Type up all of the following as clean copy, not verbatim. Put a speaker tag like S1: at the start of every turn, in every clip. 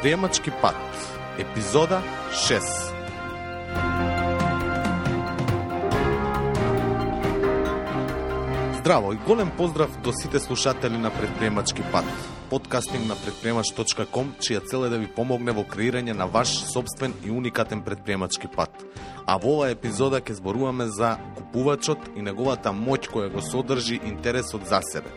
S1: Предприемачки пат, епизода 6. Здраво и голем поздрав до сите слушатели на Предприемачки пат, подкастинг на предприемач.com, чија цел е да ви помогне во креирање на ваш собствен и уникатен предприемачки пат. А во оваа епизода ќе зборуваме за купувачот и неговата моќ која го содржи интересот за себе.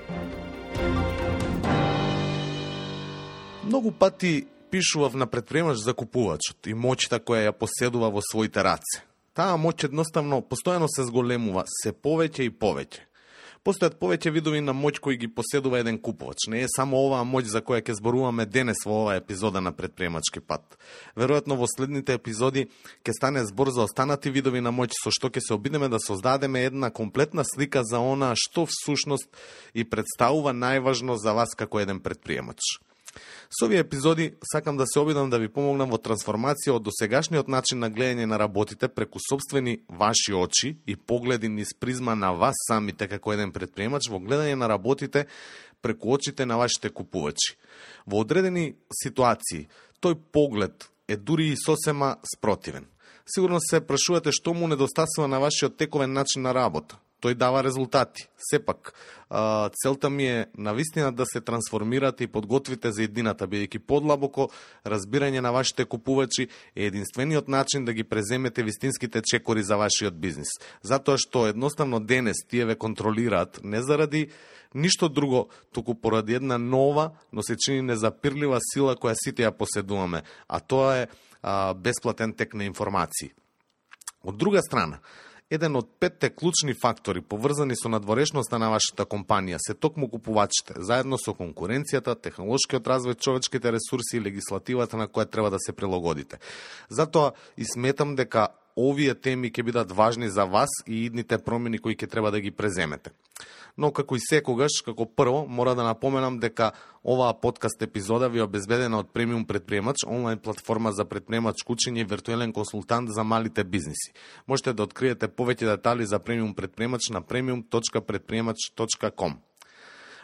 S1: Многу пати пишував на предприемач за купувачот и моќта која ја поседува во своите раце. Таа моќ едноставно постојано се зголемува, се повеќе и повеќе. Постојат повеќе видови на моќ кои ги поседува еден купувач. Не е само оваа моќ за која ќе зборуваме денес во оваа епизода на Предприемачки пат. Веројатно во следните епизоди ќе стане збор за останати видови на моќ, со што ќе се обидеме да создадеме една комплетна слика за она што всушност и представува најважно за вас како еден предприемач. Со овие епизоди сакам да се обидам да ви помогнам во трансформација од досегашниот начин на гледање на работите преку собствени ваши очи и погледи низ призма на вас самите како еден предприемач во гледање на работите преку очите на вашите купувачи. Во одредени ситуации тој поглед е дури и сосема спротивен. Сигурно се прашувате што му недостасува на вашиот тековен начин на работа. Тој дава резултати. Сепак, целта ми е навистина да се трансформирате и подготвите за едината, бидејќи подлабоко разбирање на вашите купувачи е единствениот начин да ги преземете вистинските чекори за вашиот бизнис. Затоа што едноставно денес тие ве контролираат не заради ништо друго, туку поради една нова, но се чини незапирлива сила која сите ја поседуваме, а тоа е бесплатен тек на информации. Од друга страна, еден од 5 клучни фактори поврзани со надворешноста на вашата компанија се токму купувачите, заедно со конкуренцијата, технолошкиот развој, човечките ресурси и легислативата на која треба да се прилагодите. Затоа и сметам дека овие теми ќе бидат важни за вас и идните промени кои ќе треба да ги преземете. Но како и секогаш, како прво, мора да напоменам дека оваа подкаст епизода ви е обезбедена од Премиум Предприемач, онлайн платформа за предприемачко учење и виртуелен консултант за малите бизниси. Можете да откриете повеќе детали за Премиум Предприемач на premium.предприемач.com.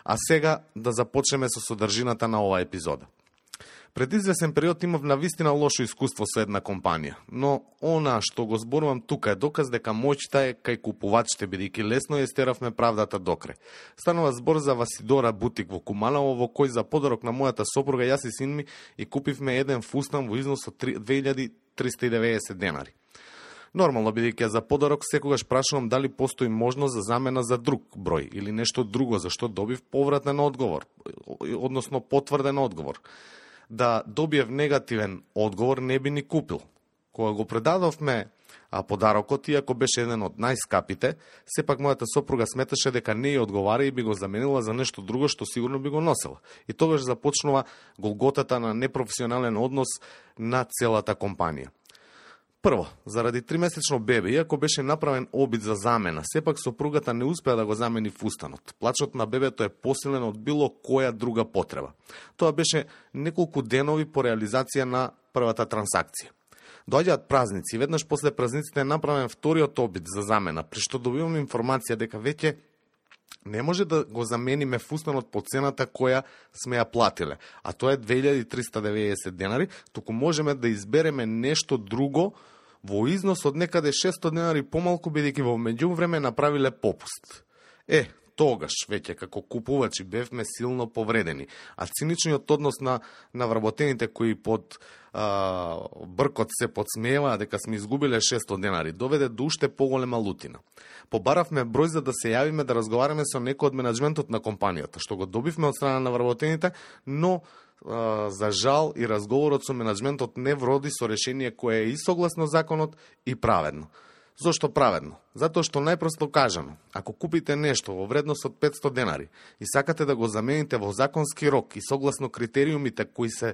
S1: А сега да започнеме со содржината на оваа епизода. Пред извесен период имав навистина лошо искуство со една компанија, но она што го зборувам тука е доказ дека моќта е кај купувачите, бидејќи лесно ја стеравме правдата докрај. Станува збор за Васидора бутик во Куманово, во кој за подарок на мојата сопруга јас и син ми и купивме еден фустан во износ од 2390 денари. Нормално, бидејќи за подарок секогаш прашувам дали постои можност за замена за друг број или нешто друго, зашто добив повратен одговор, односно потврден одговор. Да добиев негативен одговор не би ни купил. Кога го предадовме подарокот, иако беше еден од најскапите, сепак мојата сопруга сметаше дека не ја одговара и би го заменила за нешто друго што сигурно би го носела. И тогаш започнува голготата на непрофесионален однос на целата компанија. Прво, заради 3-месечно бебе, иако беше направен обид за замена, сепак сопругата не успеа да го замени фустанот. Плачот на бебето е посилен од било која друга потреба. Тоа беше неколку денови по реализација на првата трансакција. Доаѓаат празници, веднаш после празниците е направен вториот обид за замена, при што добивам информација дека веќе не може да го замениме фустанот по цената која сме ја платиле, а тоа е 2390 денари, туку можеме да избереме нешто друго во износ од некаде 600 денари помалку, бидејќи во меѓувреме направиле попуст. Тогаш веќе како купувачи бевме силно повредени, а циничниот однос на вработените кои под бркот се подсмееваа дека сме изгубиле 600 денари доведе до уште поголема лутина. Побаравме број за да се јавиме да разговараме со некој од менаџментот на компанијата, што го добивме од страна на вработените, но за жал и разговорот со менаџментот не вроди со решение кое е и согласно законот и праведно. Зошто праведно? Затоа што најпросто кажано, ако купите нешто во вредност од 500 денари и сакате да го замените во законски рок и согласно критериумите кои се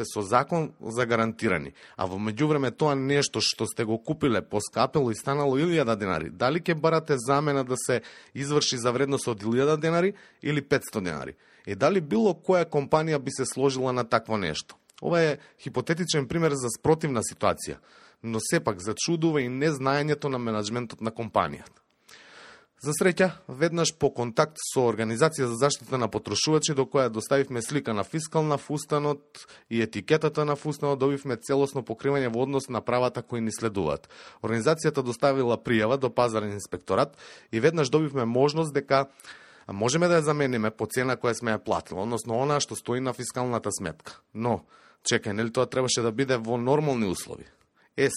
S1: со закон загарантирани, а во меѓувреме тоа нешто што сте го купиле поскапело и станало 1000 денари, дали ќе барате замена да се изврши за вредност од 1000 денари или 500 денари? И дали било која компанија би се сложила на такво нешто? Ова е хипотетичен пример за спротивна ситуација, но сепак зачудува и незнаењето на менаџментот на компанијата. За среќа, веднаш по контакт со Организација за заштита на потрошувачи, до која доставивме слика на фискал на фустанот и етикетата на фустанот, добивме целосно покривање во однос на правата кои ни следуваат. Организацијата доставила пријава до пазарен инспекторат и веднаш добивме можност дека можеме да ја замениме по цена која сме ја платили, односно она што стои на фискалната сметка. Но, чекај, нели тоа требаше да биде во нормални услови?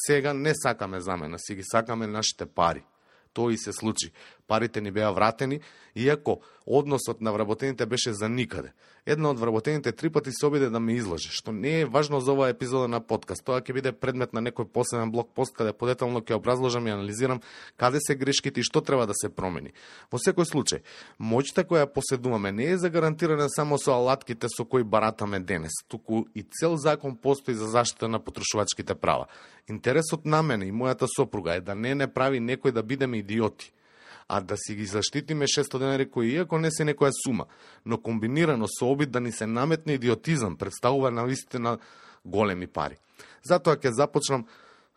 S1: Сега не сакаме замена, си ги сакаме нашите пари. Тоа и се случи. Парите ни беа вратени, иако односот на вработените беше за никаде. Една од вработените 3 пати се обиде да ме излаже, што не е важно за оваа епизода на подкаст. Тоа ќе биде предмет на некој посебен блог пост, каде подетално ќе образложам и анализирам каде се грешките и што треба да се промени. Во секој случај, моќта која поседуваме не е загарантирана само со алатките со кои баратаме денес, туку и цел закон постои за заштита на потрошувачките права. Интересот на мене и мојата сопруга е да не прави некој да бидеме идиоти, а да си ги заштитиме 600 денари кои иако не се некоја сума, но комбинирано со обид да ни се наметне идиотизам, представува навистина големи пари. Затоа ќе започнам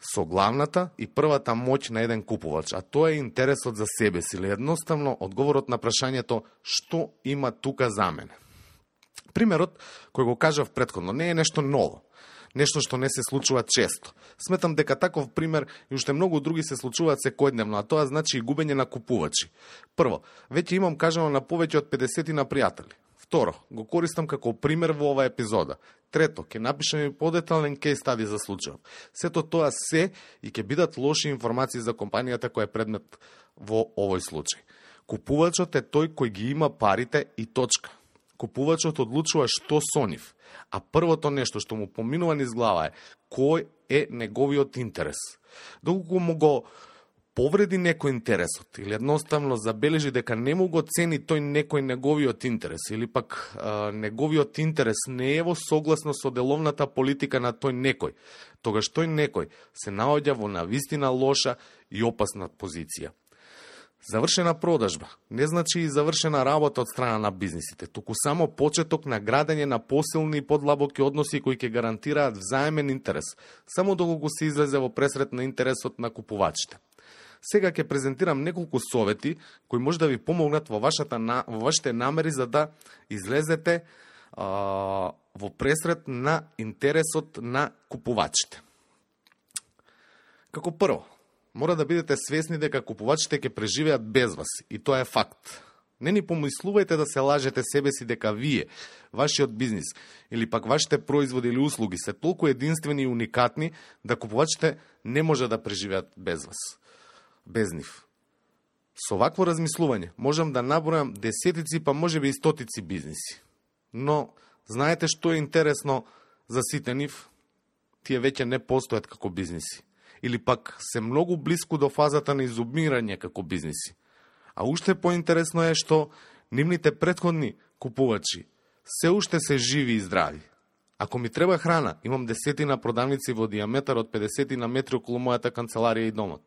S1: со главната и првата моќ на еден купувач, а тоа е интересот за себе си, или едноставно одговорот на прашањето што има тука за мене. Примерот кој го кажав претходно не е нешто ново, нешто што не се случува често. Сметам дека таков пример и уште многу други се случуваат секојдневно, а тоа значи и губење на купувачи. Прво, веќе имам кажано на повеќе од 50 на пријатели. Второ, го користам како пример во оваа епизода. Трето, ќе напишам и подетален кейс стади за случајов. Сето тоа се и ќе бидат лоши информации за компанијата која е предмет во овој случај. Купувачот е тој кој ги има парите и точка. Купувачот одлучува што со нив, а првото нешто што му поминува низ глава е кој е неговиот интерес. Доколку му го повреди некој интересот или едноставно забележи дека не му го цени тој некој неговиот интерес или пак неговиот интерес не е во согласно со деловната политика на тој некој, тогаш тој некој се наоѓа во навистина лоша и опасна позиција. Завршена продажба не значи и завршена работа од страна на бизнисите, туку само почеток на градење на посилни и подлабоки односи кои ќе гарантираат взаемен интерес, само доколку се излезе во пресрет на интересот на купувачите. Сега ќе презентирам неколку совети кои може да ви помогнат во вашите намери за да излезете во пресрет на интересот на купувачите. Како прво, мора да бидете свесни дека купувачите ќе преживеат без вас и тоа е факт. Не ни помислувајте да се лажете себе си дека вие, вашиот бизнис или пак вашите производи или услуги се толку единствени и уникатни да купувачите не може да преживеат без вас, без нив. Со вакво размислување можам да набројам десетици, па можеби и стотици бизниси. Но знаете што е интересно за сите нив? Тие веќе не постојат како бизниси. Или пак се многу близко до фазата на изумирање како бизниси. А уште поинтересно е што нивните претходни купувачи се уште се живи и здрави. Ако ми треба храна, имам десетина продавници во диаметар од 50 на метри околу мојата канцеларија и домот.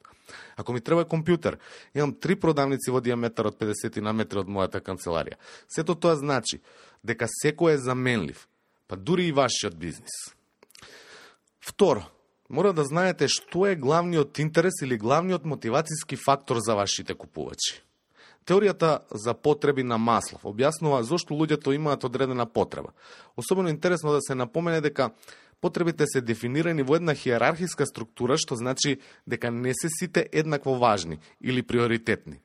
S1: Ако ми треба компјутер, имам 3 продавници во диаметар од 50 на метри од мојата канцеларија. Сето тоа значи дека секој е заменлив, па дури и вашиот бизнис. Второ, мора да знаете што е главниот интерес или главниот мотивацијски фактор за вашите купувачи. Теоријата за потреби на Маслов објаснува зошто луѓето имаат одредена потреба. Особено интересно да се напомене дека потребите се дефинирани во една хиерархиска структура, што значи дека не се сите еднакво важни или приоритетни.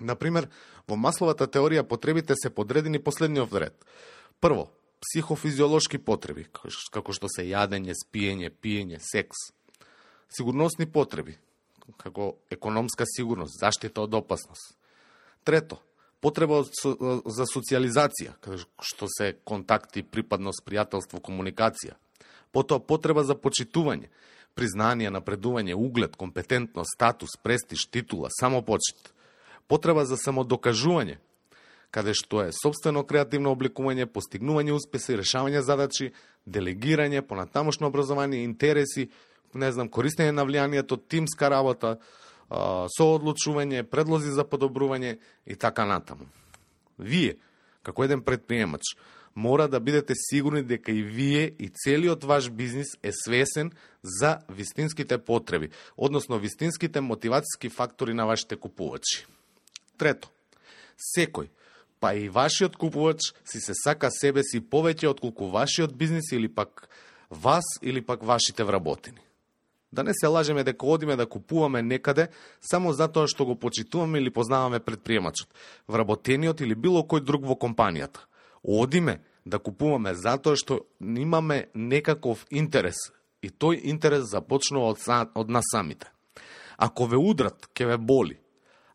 S1: Например, во Масловата теорија потребите се подредени по следниот ред. Прво, психофизиолошки потреби, како што се јадење, спиење, пиење, секс. Сигурносни потреби, како економска сигурност, заштита од опасност. Трето, потреба за социализација, што се контакти, припадност, пријателство, комуникација. Потоа потреба за почитување, признание, напредување, углед, компетентност, статус, престиж, титула, самопочит. Потреба за самодокажување, каде што е собствено креативно обликување, постигнување успеси, решавање задачи, делегирање, понатамошно образование, интереси, користење на влијанието, тимска работа, соодлучување, предлози за подобрување и така натаму. Вие, како еден предприемач, мора да бидете сигурни дека и вие и целиот ваш бизнис е свесен за вистинските потреби, односно вистинските мотивацијски фактори на вашите купувачи. Трето, секој, па и вашиот купувач си се сака себе си повеќе отколку вашиот бизнис или пак вас или пак вашите вработени. Да не се лажеме дека одиме да купуваме некаде само затоа што го почитуваме или познаваме предприемачот, вработениот или било кој друг во компанијата. Одиме да купуваме затоа што имаме некаков интерес и тој интерес започнува од нас самите. Ако ве удрат, ќе ве боли.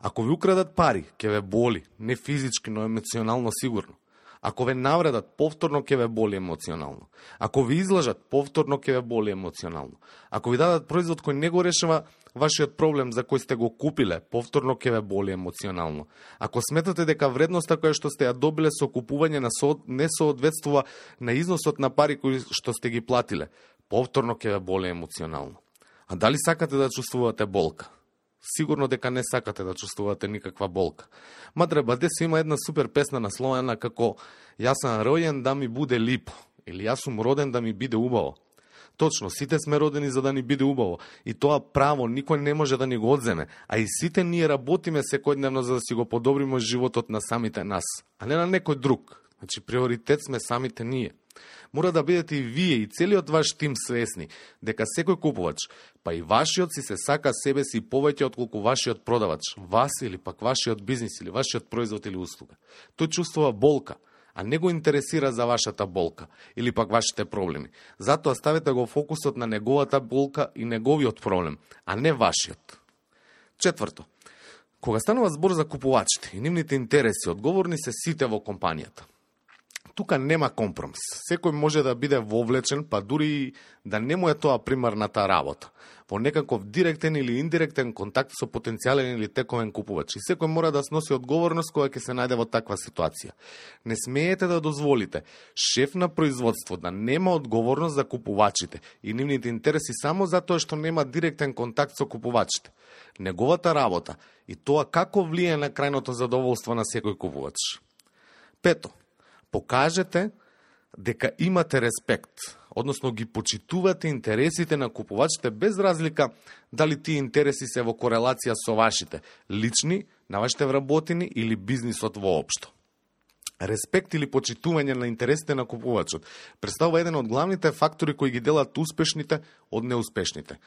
S1: Ако ви украдат пари, ќе ве боли, не физички, но емоционално сигурно. Ако ве навредат, повторно ќе ве боли емоционално. Ако ви излажат, повторно ќе ве боли емоционално. Ако ви дадат производ кој не го решава вашиот проблем за кој сте го купиле, повторно ќе ве боли емоционално. Ако сметате дека вредноста која што сте ја добиле со купување не соодветствува на износот на пари кои што сте ги платиле, повторно ќе ве боли емоционално. А дали сакате да чувствувате болка? Сигурно дека не сакате да чувствувате никаква болка. Мадре Бадеси има една супер песна насловена како "Јас сум ројен да ми буде липо" или "Јас сум роден да ми биде убаво". Точно, сите сме родени за да ни биде убаво и тоа право никој не може да ни го одземе, а и сите ние работиме секојдневно за да си го подобриме животот на самите нас, а не на некој друг. Значи приоритет сме самите ние. Мора да бидете и вие и целиот ваш тим свесни дека секој купувач, па и вашиот си се сака себе си повеќе отколку вашиот продавач, вас или пак вашиот бизнис или вашиот производ или услуга. Тој чувствува болка, а не го интересира за вашата болка или пак вашите проблеми. Затоа ставете го фокусот на неговата болка и неговиот проблем, а не вашиот. Четврто, кога станува збор за купувачите и нивните интереси, одговорни се сите во компанијата. Тука нема компромис. Секој може да биде вовлечен, па дури и да не му е тоа примарната работа, во некаков директен или индиректен контакт со потенцијален или тековен купувач. И секој мора да сноси одговорност кога ќе се најде во таква ситуација. Не смеете да дозволите шеф на производство да нема одговорност за купувачите и нивните интереси само затоа што нема директен контакт со купувачите. Неговата работа и тоа како влие на крајното задоволство на секој купувач. Пето, покажете дека имате респект, односно ги почитувате интересите на купувачите без разлика дали тие интереси се во корелација со вашите, лични, на вашите вработени или бизнисот воопшто. Респект или почитување на интересите на купувачот представува еден од главните фактори кои ги делат успешните од неуспешните.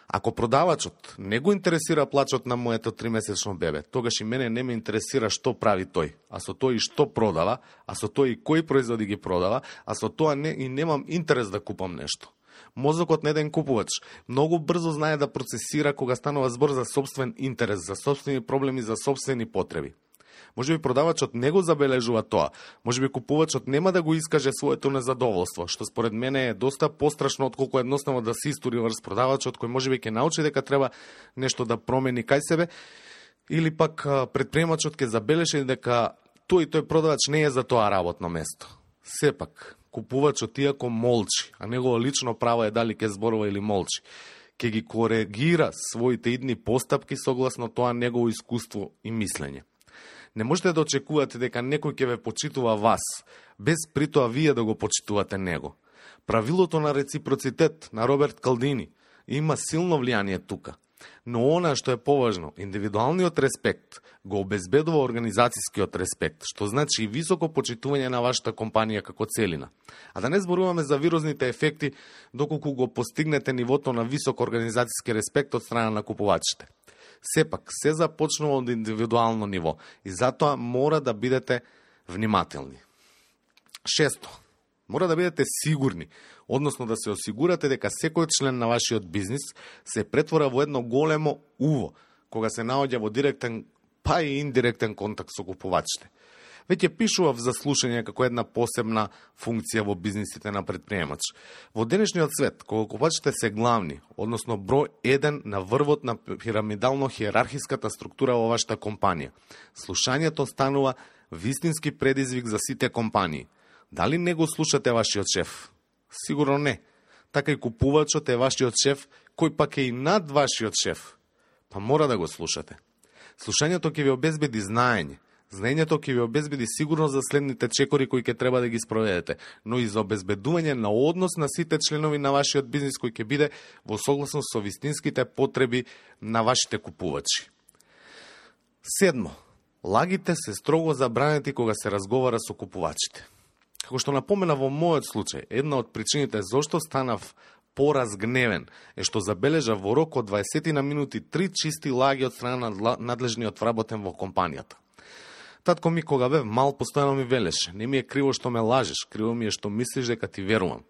S1: Ако продавачот не го интересира плачот на моето 3-месечно бебе, тогаш и мене не ме интересира што прави тој, а со тој и што продава, а со тој и кои производи ги продава, а со тоа и немам интерес да купам нешто. Мозокот на еден купувач многу брзо знае да процесира кога станува збор за сопствен интерес, за сопствени проблеми, за сопствени потреби. Може би продавачот не го забележува тоа, може би купувачот нема да го искаже своето незадоволство, што според мене е доста пострашно отколку едноставно да се истори врз продавачот кој може би ќе научи дека треба нешто да промени кај себе, или пак предприемачот ќе забележи дека тој продавач не е за тоа работно место. Сепак, купувачот иако молчи, а негово лично право е дали ќе зборува или молчи, ќе ги коригира своите идни постапки согласно тоа негово искуство и мислење. Не можете да очекувате дека некој ќе ве почитува вас, без притоа вие да го почитувате него. Правилото на реципроцитет на Роберт Калдини има силно влијание тука. Но она што е поважно, индивидуалниот респект го обезбедува организацијскиот респект, што значи и високо почитување на вашата компанија како целина. А да не зборуваме за вирозните ефекти доколку го постигнете нивото на висок организацијски респект од страна на купувачите. Сепак, се започнува од индивидуално ниво и затоа мора да бидете внимателни. Шесто, мора да бидете сигурни, односно да се осигурате дека секој член на вашиот бизнис се претвора во едно големо уво, кога се наоѓа во директен, па и индиректен контакт со купувачите. Веќе пишував за слушање како една посебна функција во бизнисите на предприемач. Во денешниот свет, кога купувачите се главни, односно број 1 на врвот на пирамидално-хиерархиската структура во вашата компанија, слушањето станува вистински предизвик за сите компании. Дали не го слушате вашиот шеф? Сигурно не. Така и купувачот е вашиот шеф, кој пак е и над вашиот шеф. Па мора да го слушате. Слушањето ќе ви обезбеди знаење. Знаењето ќе ви обезбеди сигурно за следните чекори кои ќе треба да ги спроведете, но и за обезбедување на однос на сите членови на вашиот бизнис кој ќе биде во согласност со вистинските потреби на вашите купувачи. Седмо, Лагите се строго забранети кога се разговара со купувачите. Како што напомена во мојот случај, една од причините зошто станав поразгневен е што забележа во рок од 20 на минути 3 чисти лаги од страна на надлежниот вработен во компанијата. Татко ми кога бев мал постојано ми велеше: не ми е криво што ме лажеш, криво ми е што мислиш дека ти верувам.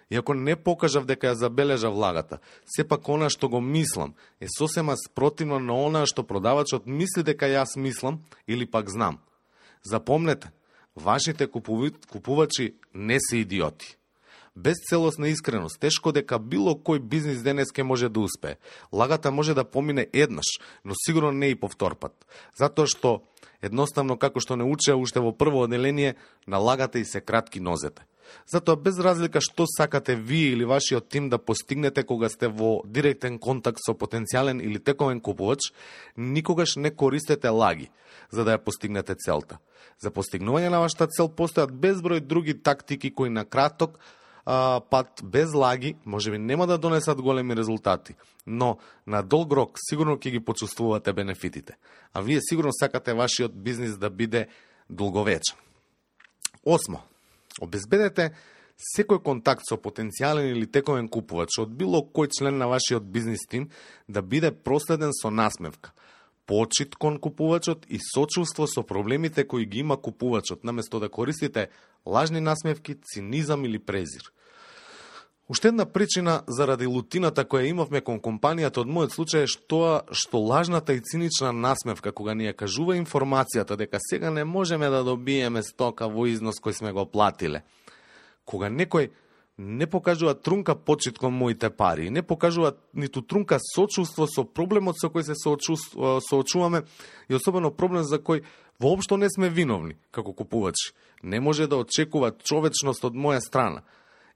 S1: Иако не покажав дека ја забележав лагата, сепак она што го мислам е сосема спротивно на она што продавачот мисли дека јас мислам или пак знам. Запомнете, вашите купувачи не се идиоти. Без целосна искреност, тешко дека било кој бизнис денеска може да успее. Лагата може да помине еднаш, но сигурно не и повтор пат. Затоа што, едноставно како што не учеа уште во прво оделение, на лагата и се кратки нозете. Затоа без разлика што сакате вие или вашиот тим да постигнете кога сте во директен контакт со потенцијален или тековен купувач, никогаш не користете лаги за да ја постигнете целта. За постигнување на вашата цел постојат безброј други тактики кои на краток пат без лаги можеби нема да донесат големи резултати, но на долг рок сигурно ќе ги почувствувате бенефитите. А вие сигурно сакате вашиот бизнис да биде долговечен. 8. Обезбедете секој контакт со потенцијален или тековен купувач од било кој член на вашиот бизнис тим да биде проследен со насмевка, почит кон купувачот и сочувство со проблемите кои ги има купувачот, наместо да користите лажни насмевки, цинизам или презир. Уште една причина заради лутината која имавме кон компанијата од мојот случај е тоа што лажната и цинична насмевка кога ни ја кажува информацијата дека сега не можеме да добиеме стока во износ кој сме го платиле. Кога некој не покажува трунка почит кон моите пари, не покажува ниту трунка сочувство со проблемот со кој се соочуваме и особено проблем за кој воопшто не сме виновни како купувачи, не може да очекува човечност од моја страна.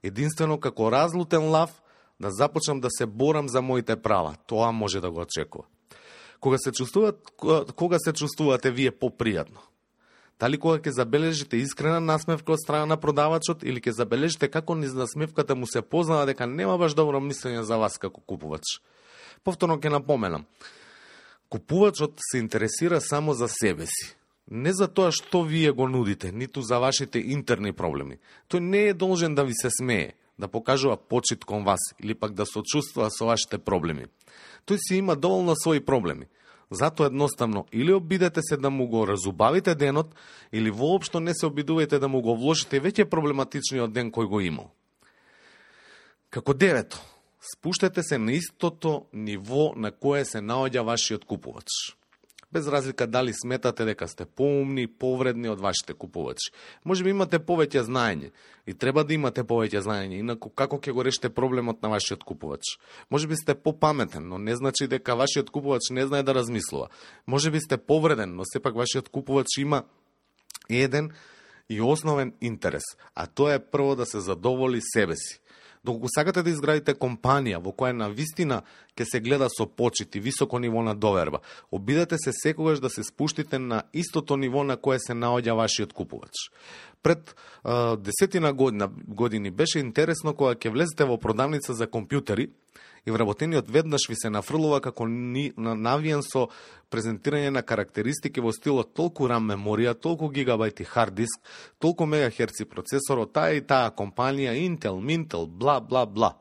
S1: Единствено како разлутен лав да започнам да се борам за моите права. Тоа може да го очекува. Кога се чувствувате вие попријатно? Дали кога ќе забележите искрена насмевка од страна на продавачот или ќе забележите како низ насмевката му се познава дека нема баш добро мислење за вас како купувач? Повторно ќе напоменам. Купувачот се интересира само за себе си. Не за тоа што вие го нудите, ниту за вашите интерни проблеми. Тој не е должен да ви се смее, да покажува почит кон вас или пак да сочувствува со вашите проблеми. Тој си има доволно своји проблеми. Затоа едноставно или обидете се да му го разубавите денот, или воопшто не се обидувајте да му го вложите веќе проблематичниот ден кој го имал. Како 9. Спуштете се на истото ниво на кое се наоѓа вашиот купувач. Без разлика дали сметате дека сте поумни, повредни од вашите купувачи. Може би имате повеќе знаење и треба да имате повеќе знаење, инаку како ќе го решите проблемот на вашиот купувач? Може би сте попаметен, но не значи дека вашиот купувач не знае да размислува. Може би сте повреден, но сепак вашиот купувач има еден и основен интерес, а тоа е прво да се задоволи себе си. Доколку сакате да изградите компанија во која на вистина ќе се гледа со почит и високо ниво на доверба, обидете се секогаш да се спуштите на истото ниво на кое се наоѓа вашиот купувач. Пред 10 години беше интересно кога ќе влезете во продавница за компјутери и вработениот веднаш ви се нафрлува како навиен со презентирање на карактеристики во стилот толку RAM меморија, толку гигабајти хард диск, толку мегахерци процесор, таа и таа компанија, Intel, Mintel, бла, бла, бла.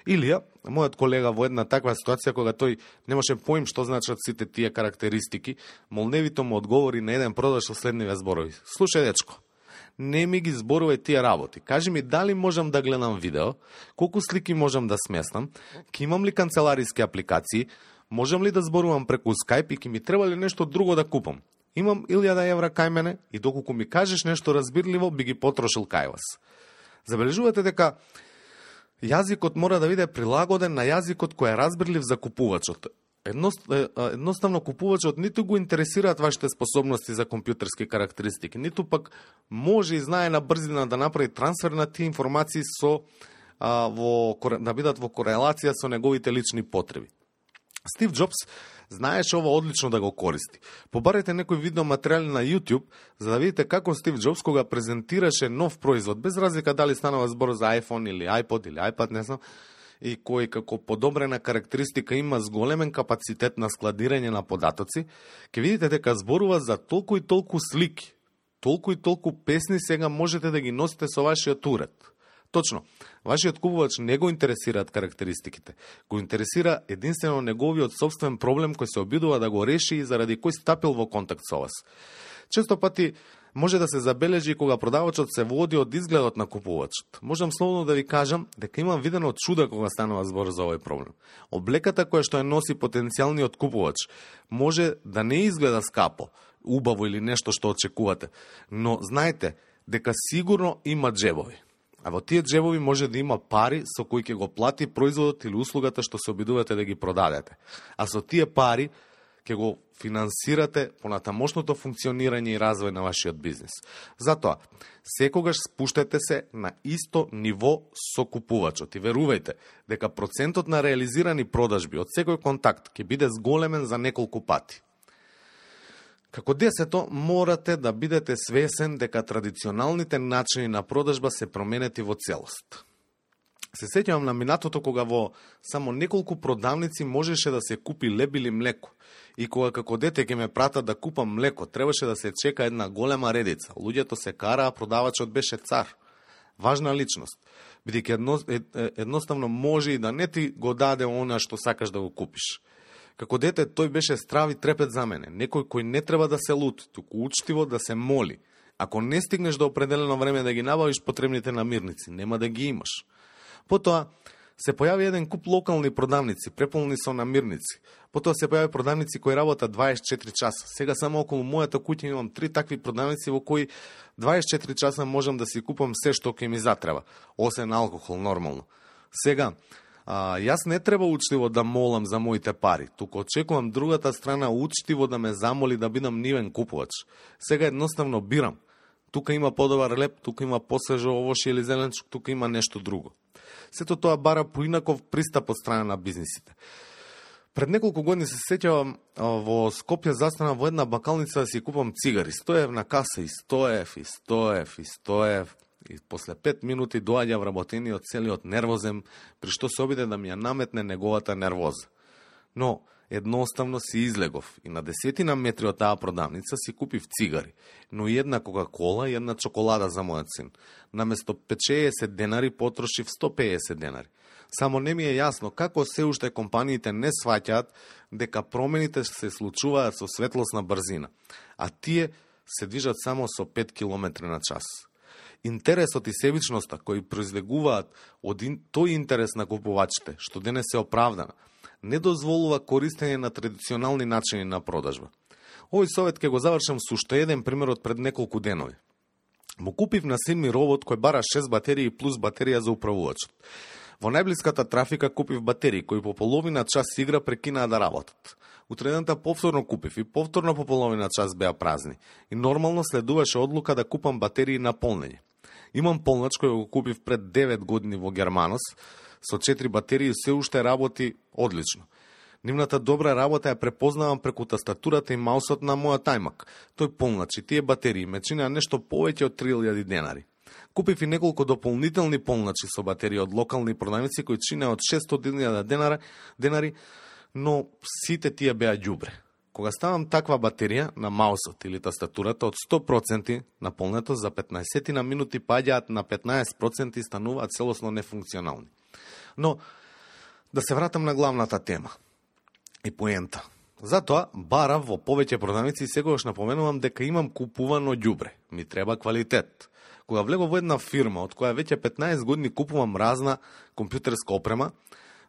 S1: Илија, мојот колега во една таква ситуација, кога тој немаше поим што значат сите тие карактеристики, молневито му одговори на еден продавач со следниве зборови. Слушај, дечко, не ми ги зборувај тие работи. Кажи ми дали можам да гледам видео, колку слики можам да сместам, ке имам ли канцелариски апликации, можам ли да зборувам преку Skype и ке ми треба ли нешто друго да купам. Имам 1000 евра кај мене и доколку ми кажеш нешто разбирливо, би ги потрошил кај вас. Забележувате дека јазикот мора да биде прилагоден на јазикот кој е разбирлив за купувачот. Едноставно купувачот ниту го интересираат вашите способности за компјутерски карактеристики, ниту пак може и знае на брзина да направи трансфер на тие информации да бидат во корелација со неговите лични потреби. Стив Джобс знаеше ова одлично да го користи. Побарете некој видеоматеријали на YouTube за да видите како Стив Джобс кога презентираше нов производ, без разлика дали станува збор за iPhone или iPod или iPad, не знам, и кој како подобрена карактеристика има зголемен капацитет на складирање на податоци, ќе видите дека зборува за толку и толку слики, толку и толку песни сега можете да ги носите со вашиот уред. Точно, вашиот купувач не го интересираат карактеристиките, го интересира единствено неговиот собствен проблем кој се обидува да го реши и заради кој стапил во контакт со вас. Често пати може да се забележи кога продавачот се води од изгледот на купувачот. Можам слободно да ви кажам дека имам видено чуда кога станува збор за овој проблем. Облеката која што ја носи потенцијалниот купувач може да не изгледа скапо, убаво или нешто што очекувате, но знаете дека сигурно има джебови. А во тие джебови може да има пари со кои ќе го плати производот или услугата што се обидувате да ги продадете. А со тие пари ќе го финансирате понатамошното функционирање и развој на вашиот бизнис. Затоа, секогаш спуштете се на исто ниво со купувачот и верувајте дека процентот на реализирани продажби од секој контакт ќе биде зголемен за неколку пати. Како десето, морате да бидете свесен дека традиционалните начини на продажба се променети во целост. Се сеќавам на минатото кога во само неколку продавници можеше да се купи леб или млеко. И кога како дете ќе ме пратат да купам млеко, требаше да се чека една голема редица. Луѓето се кара, а продавачот беше цар. Важна личност. Бидејќи едноставно може и да не ти го даде она што сакаш да го купиш. Како дете тој беше страв и трепет за мене. Некој кој не треба да се лут, туку учтиво да се моли. Ако не стигнеш до определено време да ги набавиш потребните намирници, нема да ги имаш. Потоа се појави еден куп локални продавници, преполни со намирници. Потоа се појави продавници кои работат 24 часа. Сега само околу мојата куќа имам 3 такви продавници во кои 24 часа можам да си купам се што ќе ми затреба, освен алкохол нормално. Сега, јас не треба учтиво да молам за моите пари, туку очекувам другата страна учтиво да ме замоли да бидам нивен купувач. Сега едноставно бирам. Тука има подобар леп, тука има посвежо овошје или зеленчук, тука има нешто друго. Сето тоа бара поинаков пристап од страна на бизнисите. Пред неколку години се сеќавам во Скопје застанав во една бакалница да си купам цигари. 100 евра на каса и 100 евра. И после 5 минути доаѓа вработениот целиот нервозен, при што се обиде да ми ја наметне неговата нервоза. Но едноставно си излегов и на 10 метри од таа продавница си купив цигари, но и една Кока-кола и една чоколада за мојот син. Наместо 50 денари потрошив 150 денари. Само не ми е јасно како се уште компаниите не сваќаат дека промените се случуваат со светлосна брзина, а тие се движат само со 5 км на час. Интересот и себичноста кои произлегуваат од тој интерес на купувачите, што денес е оправдана, не дозволува користење на традиционални начини на продажба. Овој совет ќе го завршам со уште еден пример од пред неколку денови. Му купив на син ми робот кој бара 6 батерии плюс батерија за управувачот. Во најблиската трафика купив батерии кои по половина час игра прекинаа да работат. Утредента повторно купив и повторно по половина час беа празни. И нормално следуваше одлука да купам батерии на полнење. Имам полнач кој го купив пред 9 години во Германос, со 4 батерии се уште работи одлично. Нивната добра работа ја препознавам преку тастатурата и маусот на мојот iMac. Тој полнач и тие батерии ме чинеа нешто повеќе од 3000 денари. Купив и неколку дополнителни полначи со батерии од локални продавници кои чинеа од 600.000 денари, но сите тие беа ѓубре. Кога ставам таква батерија на маусот или тастатурата од 100% наполнето, за 15 на минути паѓаат на 15% и стануваат целосно нефункционални. Но, да се вратам на главната тема и поента. Затоа, барав во повеќе продавници и секогаш напоменувам дека имам купувано ѓубре. Ми треба квалитет. Кога влегов во една фирма, од која веќе 15 години купувам разна компјутерска опрема,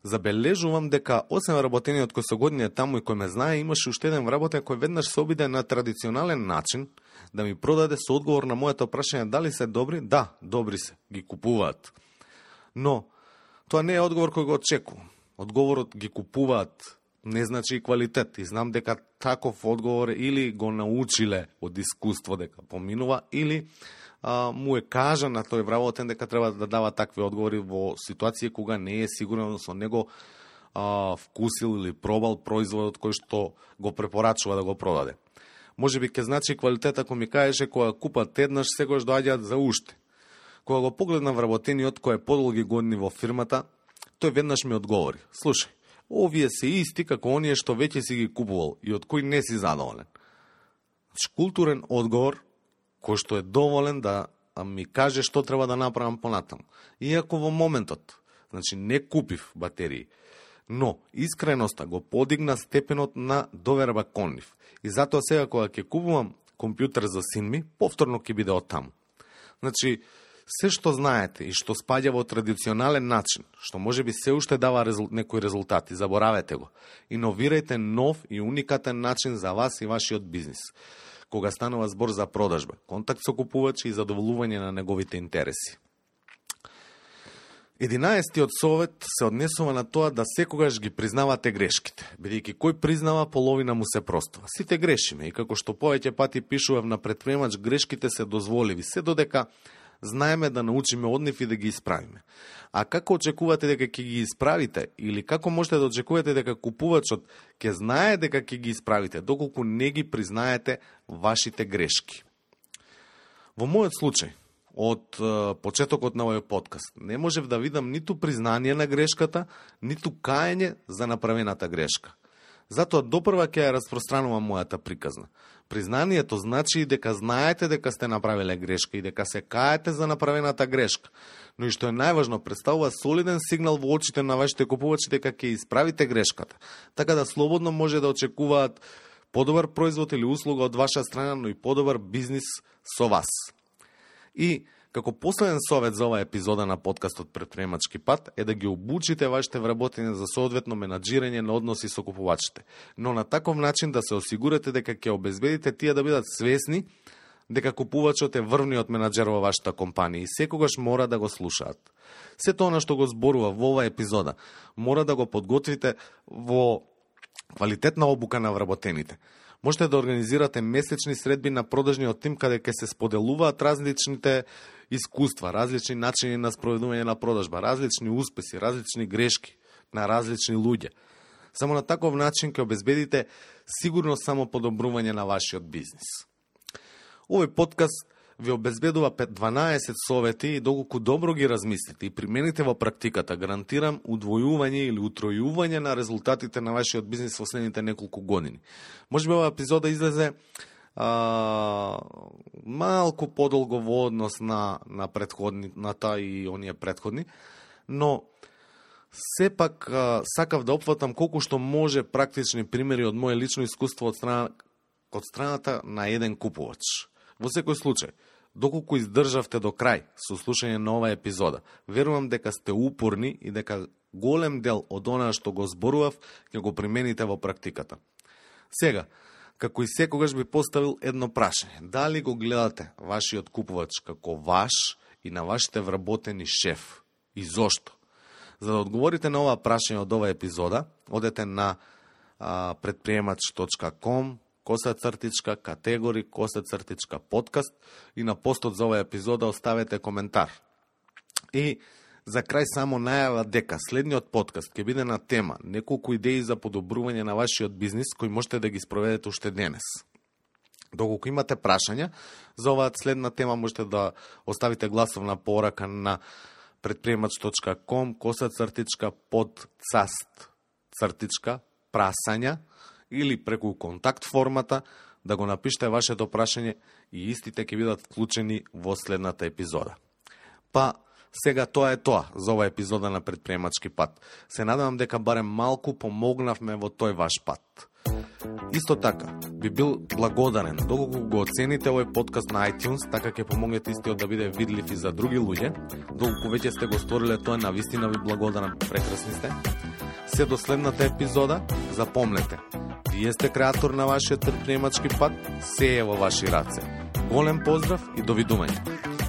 S1: забележувам дека освен вработениот кој со години е таму и кој ме знае, имаше уште еден вработен кој веднаш се обиде на традиционален начин да ми продаде со одговор на моето прашање дали се добри. Да, добри се, ги купуваат. Но тоа не е одговор кој го очекувам. Одговорот ги купуваат не значи и квалитет. И знам дека таков одговор или го научиле од искуство дека поминува, или му е кажа на тој вработен дека треба да дава такви одговори во ситуација кога не е сигурен со него вкусил или пробал производот кој што го препорачува да го продаде. Може би ќе значи квалитет ако ми кажеше кога купат еднаш, секогаш доаѓаат за уште. Кога го погледнам вработениот кој е подолги години во фирмата, Тој веднаш ми одговори: слушај, овие се исти како оние што веќе си ги купувал и од кои не си задоволен. Културен одговор кој што е доволен да ми каже што треба да направам понатаму. Иако во моментот, не купив батерии, но искреноста го подигна степенот на доверба кон нив. И затоа сега кога ќе купувам компјутер за син ми, повторно ќе биде од таму. Се што знаете и што спаѓа во традиционален начин, што може би се уште дава некои резултати, заборавете го. Иновирајте нов и уникатен начин за вас и вашиот бизнис. Кога станува збор за продажба, контакт со купувачи и задоволување на неговите интереси. 11-тиот совет се однесува на тоа да секогаш ги признавате грешките, бидејќи кој признава, половина му се простува. Сите грешиме и како што повеќе пати пишував на Предприемач, грешките се дозволиви, се додека знаеме да научиме од нив и да ги исправиме. А како очекувате дека ќе ги исправите или како можете да очекувате дека купувачот ќе знае дека ќе ги исправите, доколку не ги признаете вашите грешки? Во мојот случај, од почетокот на овој подкаст, не можев да видам ниту признание на грешката, ниту каење за направената грешка. Затоа допрва ќе ја распространувам мојата приказна. Признанието значи и дека знаете дека сте направиле грешка и дека се каете за направената грешка. Но и што е најважно, представува солиден сигнал во очите на вашите купувачи дека ќе исправите грешката, така да слободно може да очекуваат подобар производ или услуга од ваша страна, но и подобар бизнис со вас. И како последен совет за оваа епизода на подкастот Предприемачки пат е да ги обучите вашите вработени за соодветно менаџирање на односи со купувачите, но на таков начин да се осигурате дека ќе обезбедите тие да бидат свесни дека купувачот е врвниот менаџер во вашата компанија и секогаш мора да го слушаат. Сето она што го зборува во оваа епизода мора да го подготвите во квалитетна обука на вработените. Можете да организирате месечни средби на продажниот тим каде ќе се споделуваат различните искуства, различни начини на спроведување на продажба, различни успеси, различни грешки на различни луѓе. Само на таков начин ќе обезбедите сигурно само подобрување на вашиот бизнис. Овој подкаст ви обезбедува 12 совети и доколку добро ги размислите и примените во практиката, гарантирам удвојување или утројување на резултатите на вашиот бизнис во следните неколку години. Можеби оваа епизода излезе малку подолго во однос на предходната и оние предходни, но сепак сакав да опфатам колку што може практични примери од моје лично искуство од страната на еден купувач. Во секој случај, доколку издржавте до крај со слушање на оваа епизода, верувам дека сте упорни и дека голем дел од онаа што го зборував ќе го примените во практиката. Сега, како и секогаш би поставил едно прашање. Дали го гледате вашиот купувач како ваш и на вашите вработени шеф? И зошто? За да одговорите на ова прашање од оваа епизода, одете на предприемач.com /категори /подкаст и на постот за оваа епизода оставете коментар. И за крај само најава дека следниот подкаст ќе биде на тема неколку идеи за подобрување на вашиот бизнис кои можете да ги спроведете уште денес. Доколку имате прашања за оваа следна тема, можете да оставите гласовна порака на предприемач.com /podcast/прасања или преку контакт формата да го напишете вашето прашање и истите ќе бидат вклучени во следната епизода. Па, сега тоа е тоа за оваа епизода на Предприемачки пат. Се надевам дека барем малку помогнавме во тој ваш пат. Исто така, би бил благодарен доколку го оцените овој подкаст на iTunes, така ќе помогнете истиот да биде видлив и за други луѓе. Доколку веќе сте го сториле тоа, навистина ви благодарам, прекрасни сте. Се до следната епизода, запомнете, вие сте креатор на вашиот предприемачки пат, се е во ваши раце. Голем поздрав и довидување.